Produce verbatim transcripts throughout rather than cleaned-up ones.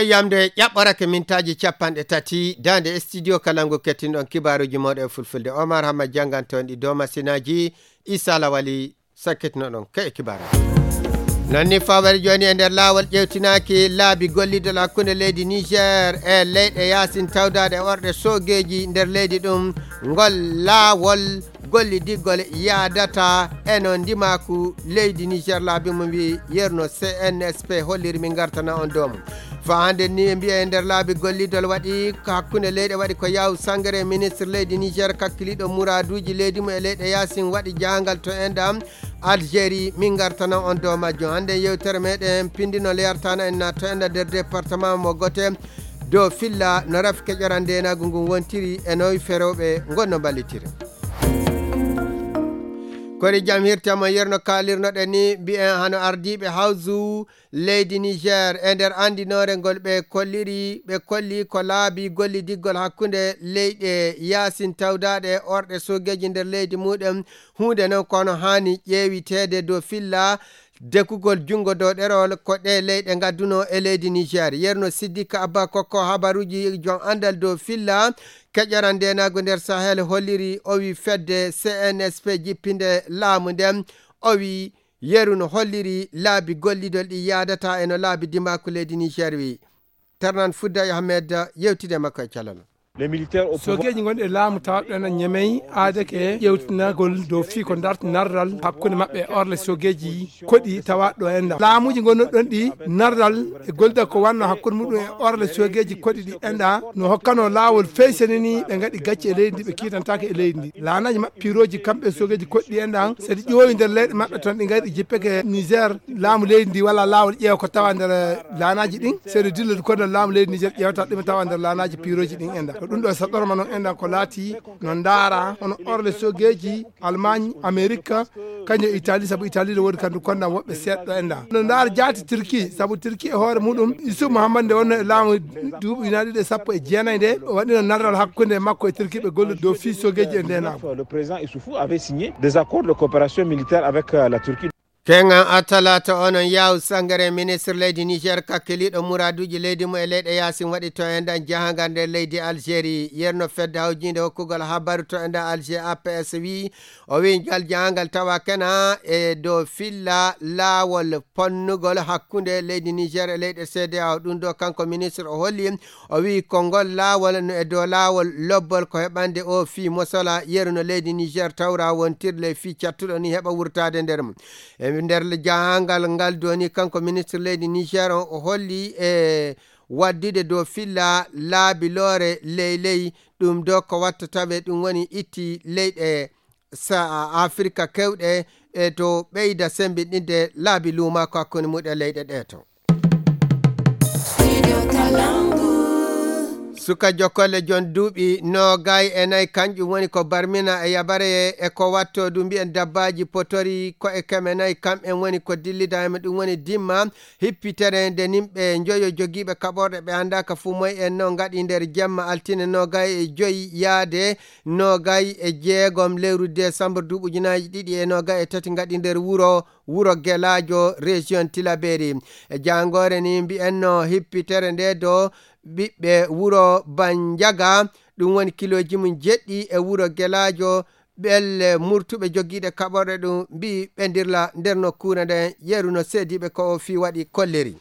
Yamde ƴaɓɓorake mintaaji capanɗe tati, daande studio Kalangu kettinɗon kibaaruuji mooɗon e fulfulde. Omar Hamma jannganto on ɗi dow masinaaji, Isa Lawali sakkitinoɗon ke e kibaaru. Non ni fawere jooni e nder laawol ƴeewtinaaki laabi gollidol hakkunde leydi Niger e leyɗe yaasin tawdaaɗe e orɗe soogeeji nder leydi ɗum. Ngol laawol gollidigol yaadata e no ndimaaku leydi Niger laabi mum wi yerno C N S P holliri min ngartana on dow mum. Fa hannde ni e mbiya e nder laabi gollidol waɗi ko hakkunde leyɗe waɗi ko yaw sangere ministre leydi Niger kakkiliɗo muraaduuji leydi mum e leyɗe yaasin waɗi jahangal to enɗam Algérie min ngartana on dow majjum. Hannde yewtere meɗen pindino leyartana en na to enɗa nder département mo gote dow filla no rafi keƴoran ndenagu ngun wontiri e noy ferewɓe ngonno mballitiri. Kori jam hirta mo yerno kalirnoɗen ni mbiyen hano ardiiɓe hawsu leydi Niger e nder andinoore ngol ɓe kolliri, ɓe kolli ko laabi gollidiggol hakkunde leyɗe yaasin tawdaaɗe e orɗe soogeeji nder leydi muɗum. Huunde non kono haani ƴeewiteede dow filla dekugol junngo dow ɗerol ko ɗe leyɗe ngadduno e leydi Niger. Yerno Siddik Abba kokko habaruuji jon andal dow filla keƴoran ndenagu nder Sahel holliri o wi fedde C N S P jippinde laamu nden o wi yeru no holliri laabi gollidol ɗi yaadata e no laabi dimaaku leydi Niger wi. Ternan Fudda Ahmed yewtide makko e calal. Sogeeji gonɗi e laamu tawaaɓe ɗon e Ñemey aadake ƴeewtinagol dow fii ko darti narral hakkunde maɓɓe e orle sogeeji koɗi tawaaɗo ɗo enɗa. Laamuuji gonɗo ɗon ɗi narral e golda ko wanno hakkunde muɗum e orle sogeeji koɗi ɗi enɗa no hokkano laawol feysanini ɓe ngaɗi gacce e leydi ndi ɓe kiitantaake e leydi ndi. Laanaaji maɓɓe piirooji kamɓe sogeeji koɗi ɗi enɗa so ɗi ƴoowi nder leyɗe maɓɓe ton ɗi ngaɗi jippeke Niger laamu leydi ndi wala laawol ƴeewa ko tawa nder laanaaji ɗin. Seeɗa dilla ɗi kono laamu leydi Niger ƴeewata ɗum tawa nder laanaaji piirooji ɗin enɗa. Ko ɗum ɗo saɗorma noon enɗa ko laati no ndaara hono orle sogeeji Allemagne, Amerique, kañum e Italie, sabu Italie ne woodi kandu konda woɓɓe seeɗa enɗa. No ndaara jaati Turquie, sabu Turquie e hoore muɗum Yusuf Muhammad nde wonno e laamu duuɓi ujunaaji ɗiɗi e sappo e jeenayi nde o waɗino narral hakkunde makko e Turquie ɓe gollude dow fii sogeeji e ndenagu. Le président Issoufou avait signé des accords de coopération militaire avec euh, la Turquie. Keŋŋan a talaata onon yaaw sangare ministre leydi Niger kakkiliiɗo muraaduuji leydi mum e leyɗe yaasin waɗi to enɗan jahangal nder leydi Algérie. Yerno fedde hawjiinde hokkugol habaru to enɗan Alger A P S wi o wi ngal jahangal tawa kena e dow filla laawol ponnugol hakkunde leydi Niger e leyɗe C D A O. Ɗum ɗo kanko ministre o holli o wi ko ngol laawol no e dow laawol lobbol ko heɓande o fii mosola yeru no leydi Niger tawra wontirle fii cattuɗo ni heɓa wurtaade nder mum. E nder jahangal ngal doni kanko ministre leydi Niger on o holli e waddude dow filla laabi loore ley ley ɗum do ko watta tawe ɗum woni itti leyɗe sa Afrika kewɗe e to ɓeyda sembiɗinde laabi luuma ko hakkunde muɗe leyɗe ɗe to. Suka jokolle jon duuɓi noogay e nayi kanƴum woni ko barmina e yabare e ko watto du mbiyen dabbaaji potori ko e keme nayi kam en woni ko dillida e ɗum woni dimma hippitere nde nimɓe njoyo jogiiɓe kaɓorɗe ɓe anndaaka fuu moy en no ngaɗi nder jemma altine noogay e joyi yaade noogay e jeegom lewru décembre duuɓi ujunaaji ɗiɗi e noogay e tati ngaɗi nder wuro wuro Gelaajo région Tilaberi. E jaangoore ni mbi'enno hippitere nde do ɓiɓɓe wuro Banjaga ɗum woni kilooji mum jeɗɗi e wuro Gelaajo ɓelle murtuɓe jogiiɗe kaɓorɗe ɗum mbi'i ɓendirla nder nokkuure nden yeru no seediiɓe ko o fii waɗi kolleri.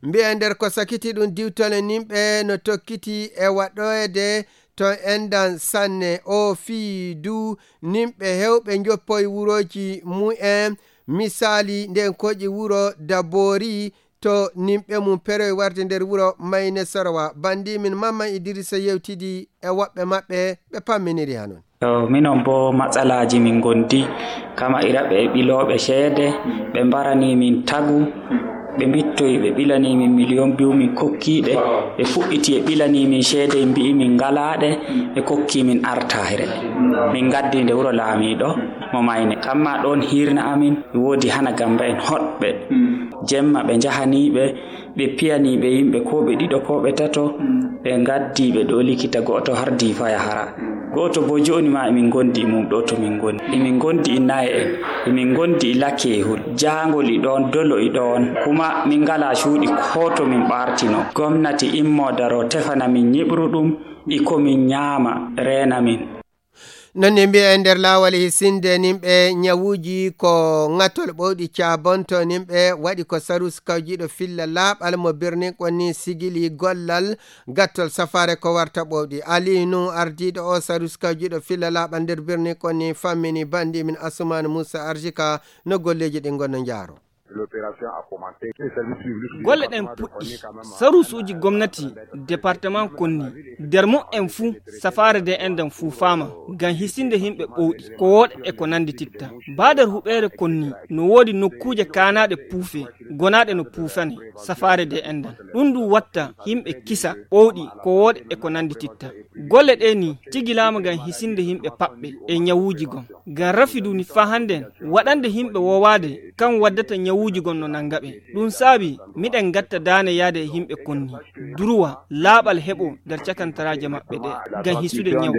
Mbi'e nder ko sakiti ɗum diwtole nimɓe no tokkiti e waɗoyde to endan sanne o fii du nimɓe hewɓe njoppoy wurooji mu'en misaali nden koƴi wuro Dabori to nimɓe mum peroy warde nder wuro Mayne Sorowa. Bandi min Mamman Idrissa yewtidi e woɓɓe maɓɓe ɓe pamminiri hanon. Minon boo matsalaaji min ngondi kama iraɓe e ɓilooɓe ceede ɓe mbarani min tagu ɓe mbittoyi ɓe ɓilani min miliyon biyu min kokkiiɓe ɓe fuɗɗiti e ɓilani min ceede mbi'i min ngalaaɗe ɓe kokki min artaahire min ngaddi nde wuro laamiiɗo mo mayne kamma ɗoon hiirna amin e woodi hana gamba en hoɗɓe jemma ɓe njahaniiɓe ɓe piyaniiɓe yimɓe ko ɓe ɗiɗo ko ɓe tato ɓe ngaddi ɓe ɗo likita go'oto hardi faya hara. Ɗo to bo jooni ma emin ngondi e mum ɗo to min ngoni. Emin ngondi e naye en, emin ngondi e lakkeehol. Jaangol e ɗoon, dolo e ɗoon. Kuma min ngalaa cuuɗi ko to min ɓaartino. Gomnati immo daro tefana min ñiɓru ɗum e ko min ñaama reena min. Noon ne mbiya e nder laawol e hisinde nimɓe ñawuuji ko ŋatol ɓowɗi caabonto nimɓe waɗi ko sarus kawjiiɗo filla laaɓal mo birni konni sigili gollal gattol safaare ko warta ɓowɗi. Aliyu Nuhu ardiiɗo o sarus kawjiiɗo filla laaɓal nder birni konni fammini banndi min Asumaan Muusa Arsika no golleeji ɗin ngonno njaaro. Golle ɗen puɗɗi. Saruusuuji gomnati departement konni, nder mu'en fuu, safaare de endan fuufaama ngam hisinde yimɓe ɓowɗi, ko wooɗa e ko nanndititta. Baa nder huɓeere konni, no woodi nokkuuje kaanaaɗe puufe, gonaaɗe no puufane, safaare de endan. Ɗum ɗum watta yimɓe kisa, ɓowɗi, ko wooɗa e ko nanndititta. Golle ɗee ni tigilaama ngam hisinde yimɓe paɓɓe e ñawuuji gon. Ngam rafi duni faa hannden waɗande yimɓe woowaade, kan waddata ñawuuji gon no nannga ɓe. Ɗum saabi miɗen ngatta daane yaade e yimɓe konni. Duruwa, laaɓal heɓo nder cakantaraaje maɓɓe ɗe, ngam hisude ñaw.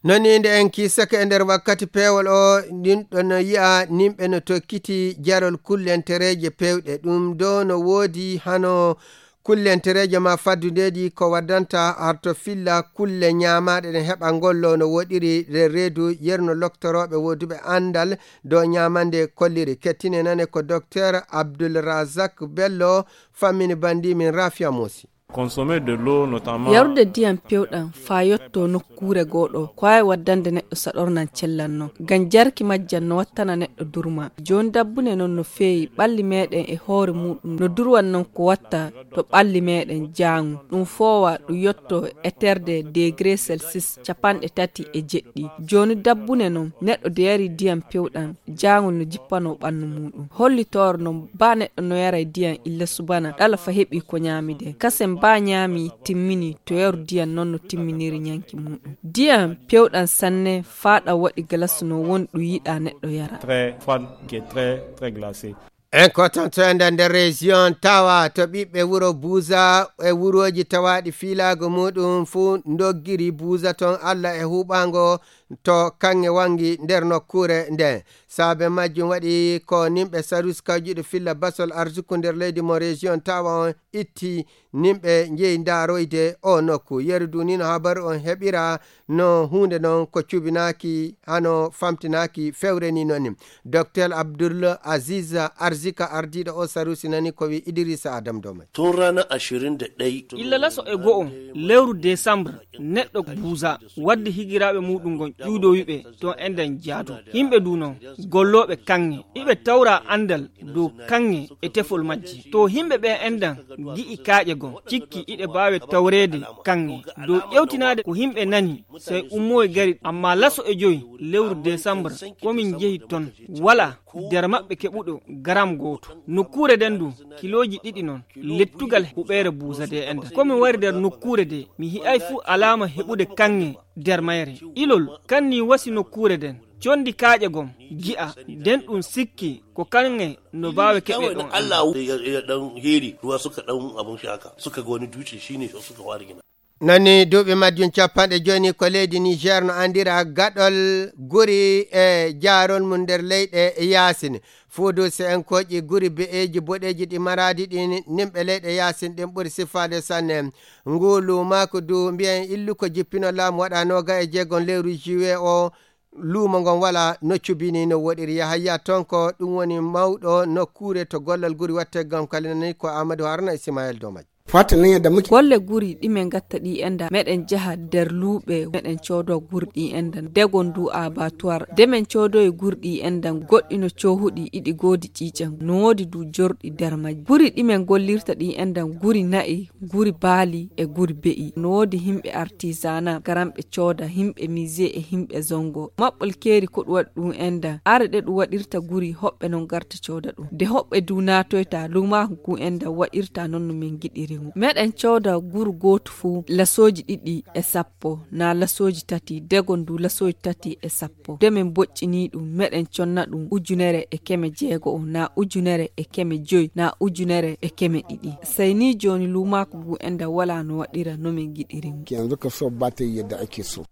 Non ni nde en kiisake e nder wakkati peewol o, ɗin ɗon no yi'a nimɓe no tokkiti jarol kullentereeje peewɗe. Ɗum do no woodi hano kullentereeje ma faddudeeji ko waddanta harto filla kulle ñaamaaɗe ɗen heɓa ngollo no woɗiri re reedu yerno loktorooɓe woduɓe anndal dow ñaamande kolliri. Kettine nane ko Docteur Abdul Razak Bello fammini banndi min Rafia Mosi. Consommer de l'eau, notamment. Yarude ndiyam pewɗam faa yotto nokkuure gooɗo, ko waawi waddande neɗɗo saɗornan cellal non. Ngam jarki majjam no wattana neɗɗo durma. Jooni dabbune non no feewi, ɓalli meeɗen e hoore muuɗum no durwan non ko watta to ɓalli meeɗen jaangu. Ɗum foowa, ɗum yotto e terde degré Celsius capanɗe tati e jeɗɗi. Jooni dabbune non, neɗɗo de yari ndiyam pewɗam, jaangol no jippanoo ɓannu muuɗum. Hollitoore non, baa neɗɗo no yaray ndiyam illa subana, ɗala fa heɓi ko ñaamide. Kasen baa ñaami, timmini, to yaru ndiyam non no timminiri ñanki muuɗum. Ndiyam pewɗam sanne, faa ɗam waɗi galas no woni ɗum yiɗaa neɗɗo yara. Très froide, qui est très, très glacée. En kotanto e nder, nder région Tawa to ɓiɓɓe wuro Buuza e wurooji tawaaɗi fiilaago muuɗum fuu ndoggiri Buuza ton Allah e huuɓaango to kaŋŋe wangi nder nokkuure nden. Saabe majjum waɗi ko nimɓe Sarus kawjiiɗo filla basol arsuku nder leydi mo région Tawa on itti nimɓe njehi ndaaroyde o nokku. Yeru du ni no habaru on heɓira no huunde non ko cubinaaki hano famtinaaki fewre ni non ni. Docteur Abdul Aziz Arzika ardiiɗo o Sarusi nani ko wi Idrissa Adam Domai. Tun ranar ashirin da ɗaya. Illa laso e go'o lewru Desambre, neɗɗo Buuza waddi higiraaɓe muuɗum ngon ƴuudowi ɓe ton e nder jaado. Yimɓe du non, gollooɓe kaŋŋe, iɓe tawra anndal dow kaŋŋe e tefol majji. To yimɓe ɓe endan gi'i kaaƴe gon, cikki iɗe baawe tawreede kaŋŋe. Dow ƴewtinaade ko yimɓe nani, sey ummoy gari, amma laso e joy lewru Desambre, ko min njehi ton, wala nder maɓɓe keɓuɗo garam gooto. Nokkuure nden du, kilooji ɗiɗi non, lettugal huɓeere Buuza de endan. Ko mi wari nder nokkuure de, mi hi'ay fuu alaama heɓude kaŋŋe nder mayre. Ilol kan ni wasi nokkuure nden, condi kaaƴe gon, gi'a, nden ɗum sikki ko kaŋŋe no baawe keɓe ɗon. Allah ya, ya ɗan heri, ruwa suka ɗan abun shaka, suka ga wani dutse, shine suka fara gina. Nani duuɓi majjum capanɗe jooni ko leydi Niger no anndira gaɗol guri e jaarol mum nder leyɗe yaasin. Fuudu se en kooƴi guri be'eeji boɗeeji ɗi maraadi ɗin, nimɓe leyɗe yaasin ɗin ɓuri sifaade sanne. Ngu luumaaku du mbiyen illu ko jippino laamu waɗa nooga e jeegom lewru juillet o, luumo ngon wala no cubini no woɗiri. Yahaya Tonko, ɗum woni mawɗo nokkuure to gollal guri watte gam kalinani ko Amadou Haruna Ismaël Domaj. Fata nan yadda muke. Golle guri ɗi men gatta ɗi enda, meɗen jaha nder luuɓe, meɗen coodo guri ɗi enda, degon du abattoir. De men coodoyi guri ɗi enda, goɗɗi no coohuɗi, iɗi goodi ƴiiƴam, no woodi du jorɗi nder majji. Guri ɗi men gollirta ɗi enda, guri na'i, guri baali e guri be'i. No woodi himɓe artisanat, garan ɓe cooda, himɓe musée e himɓe zongo. Maɓɓol keeri ko ɗum waɗi ɗum enda. Are ɗe ɗum waɗirta guri, hoɓɓe non garta cooda ɗum. De hoɓɓe du naatoyta, luumaaku ngu enda waɗirta non no min giɗiri. Meɗen cooda guru gootu fuu lasooji ɗiɗi e sappo, naa lasooji tati, degon du lasooji tati e sappo. De min boƴƴinii ɗum, meɗen conna ɗum ujunere e keme jeego, naa ujunere e keme joy, naa ujunere e keme ɗiɗi. Sey nii jooni luumaaku ngu enda walaa no waɗira no min ngiɗiri ngu. Yanzu ka so ba ta yi yadda ake so.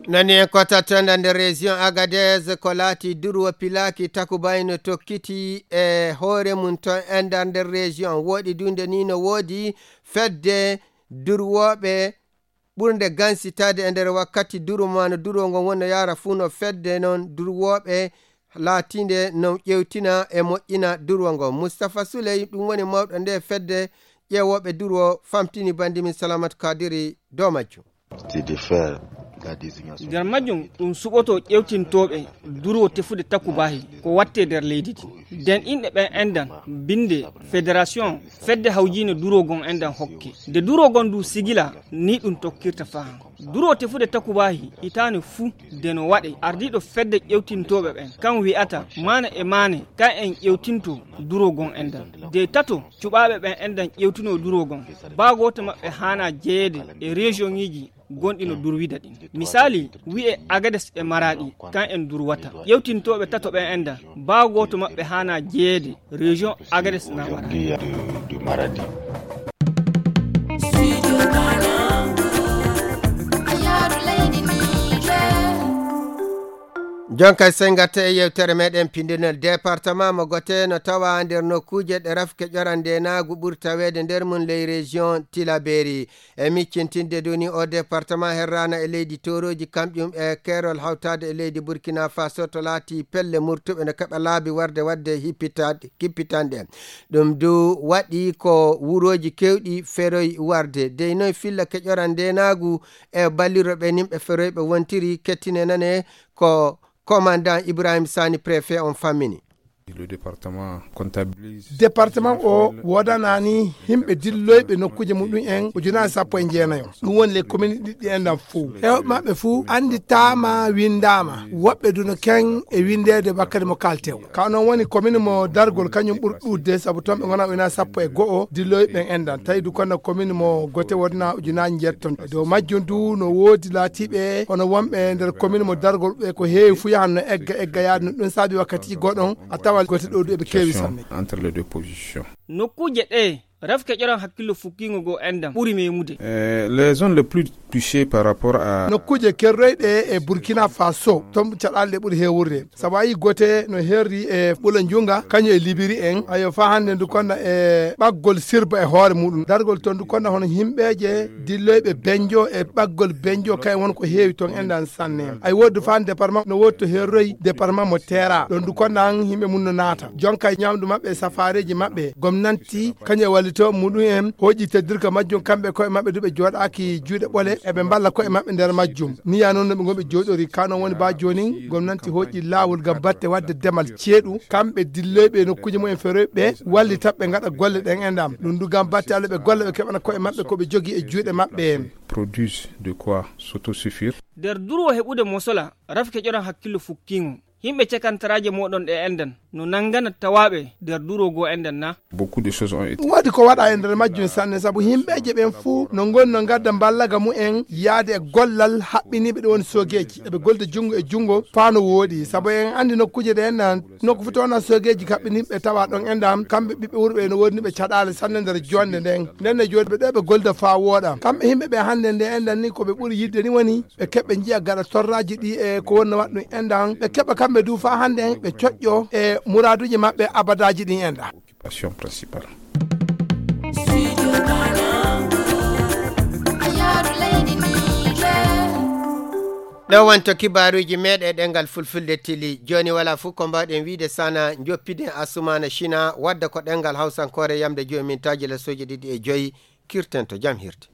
Nani en kota tonda nder région Agadez ko laati durwo pilaaki takubayno tokkiti e hoore mum ton enda nder région. Woɗi dunde ni no woodi fedde durwooɓe ɓurnde gansitaade e nder wakkati durwo maano durwo ngon wonno yaara fuu no fedde non durwooɓe laatiinde no ƴeewtina e moƴƴina durwo ngon. Mustapha Souley, ɗum woni mawɗo nde fedde ƴeewooɓe durwo, famtini bandi min Salamat Kadiri dow majjum. Nder majjum, ɗum suɓoto ƴeewtintooɓe durwo tefude takubaahi ko watte nder leydi ndi. Nden inɗe ɓen endan, binde, federation, fedde hawjiinde durwo gon endan hokke. Nde durwo gon du sigila, ni ɗum tokkirta fahan. Durwo tefude takubaahi hitaande fuu de no waɗe, ardiiɗo fedde ƴeewtintooɓe ɓen, kan wi'ata maane e maane, kan en ƴeewtinto durwo gon endan. De tato, cuɓaaɓe ɓen endan ƴeewtinoo durwo gon. Baa gooto maɓɓe haanaa jeyeede e région ŋiiji gonɗi no durwida ɗin. Misaali, wi'e Agades e Maraɗi, kan en durwata. Ƴeewtintooɓe tato ɓen endan, baa gooto maɓɓe haanaa jeyeede région Agades naa Maraɗi. Jonka sengata e yewtere meɗen pindinol département mo gote no tawa nder nokkuuje ɗe rafke ƴoran ndenaagu ɓuri taweede nder mum ley région Tilaberi. E miccintinde duni o département herrana e leydi Toroji kamƴum e keerol hawtaade e leydi Burkina Faso to laati pelle murtuɓe no keɓa laabi warde wadde hippitaɗe, kippitanɗe. Ɗum du waɗi ko wurooji kewɗi feroy warde. Dey noy filla keƴoran ndenaagu e balliro ɓe nimɓe feroyɓe wontiri kettine nane ko commandant Ibrahim Sani préfet on fammini. Le département comptabilise. Département o woodanaani yimɓe dilloyɓe nokkuuje muɗum en ujunaaji sappo e jeenayo. Ɗum woni les commune ɗiɗɗi en ɗan fof. Heewɓe maɓɓe fof annditaama, winndaama. Woɓɓe duna ken e winndeede wakkati mo kaalten. Ka non woni commune mo Dargol, kañum ɓuri ɗuuɗde, sabu toon ɓe ngonaa ujunaaji sappo e go'o dilloyɓe ɓen enɗan. Tawi du kono commune mo Gote wodna ujunaaji njeeɗi toon. E dow majjum du no woodi laatiiɓe hono wonɓe nder commune mo Dargol ɓe ko heewi fuu yahan no egga egga yaade no ɗum saabi wakkati goɗon a tawa Gote ɗo du eɓe keewi sanne. Entre les deux positions. Nokkuuje ɗe rafke ƴoran hakkillo fukkiingo goo enɗan ɓuri meemude. Euh, les zones les plus touchées par rapport à. Nokkuuje kerroyɗe e Burkina Faso, toon caɗaale ɗe ɓuri heewurde. Sabu a yii Gote no herri e Ɓula Njunga, kañum e Libiri en. Ayo, faa hannde ndu konna e ɓaggol Sirba e hoore muɗum. Dargol toon ndu konna hono yimɓeeje dilloyɓe Benjo e ɓaggol Benjo, kayen won ko heewi toon enɗan sanne. Ay woodi faa département no woodi to herroy département mo Teera. Ɗon ndu konna an yimɓe mum no naata. Jonka e ñamdu maɓɓe e safaareeji maɓɓe. Gomnanti kañum e wallitooɓe muɗum en hooƴi teddirka majjum, kamɓe koye maɓɓe du ɓe jooɗaaki juuɗe ɓole, eɓe mballa koye maɓɓe nder majjum. Ni ya noon no ɓe ngonɓe jooɗori, ka noon woni baa jooni gomnanti hooƴi laawol ngam batte waɗde demal ceeɗu, kamɓe dilloyɓe e nokkuuje mumen feroyɓe ɓe wallita ɓe ngaɗa golle ɗen enɗan. Ɗum du ngam batte Alla ɓe golla ɓe keɓana koye maɓɓe ko ɓe jogii e juuɗe maɓɓe en. Produisent de quoi s'autosuffire. Nder durwo heɓude mosola, rafke ƴoran hakkillo fukkiingo. Yimɓe cekantaraaje mooɗon ɗe enɗan no nanngana tawaaɓe nder durwo goo enɗan na? Beaucoup de choses ont été. Ɗum waɗi ko waɗa e nder majjum sanne, sabu yimɓeeje ɓen fuu no ngoni no ngadda mballaga mumen yaade e gollal haɓɓiniiɓe ɗe woni soogeeji. Eɓe golda junngo e junngo faa no wooɗi, sabu en anndi nokkuuje ɗe enɗan, nokku fuu to wonaa soogeeji kaɓɓiniiɓe tawa ɗon enɗan, kamɓe ɓiɓɓe wuro ɓe no woodani ɓe caɗaale sanne nder joɗnde nden. Nden ne jooni ɓe ɗo ɓe golda faa wooɗa. Kamɓe yimɓe ɓe hannde nde enɗan ni ko ɓe ɓuri yiɗde ni woni ɓe keɓa njiya gaɗa torraaji ɗi e ko wonnoo waɗa ɗum enɗan. Ɓe keɓa kamɓe du faa hannde ɓe coƴƴo e muraaduuji maɓɓe abadaaji ɗin enɗan. Occupation principale. Ɗo wonto kibaaruuji meeɗen ɗemngal fulfulde tili. Jooni walaa fof ko mbaawɗen wiyde sana njoppiden Asumaana Sina wadda ko ɗemngal hawsankoore yamde joomintaaji lesooji ɗiɗi e joyi. Kirten to jam hirde.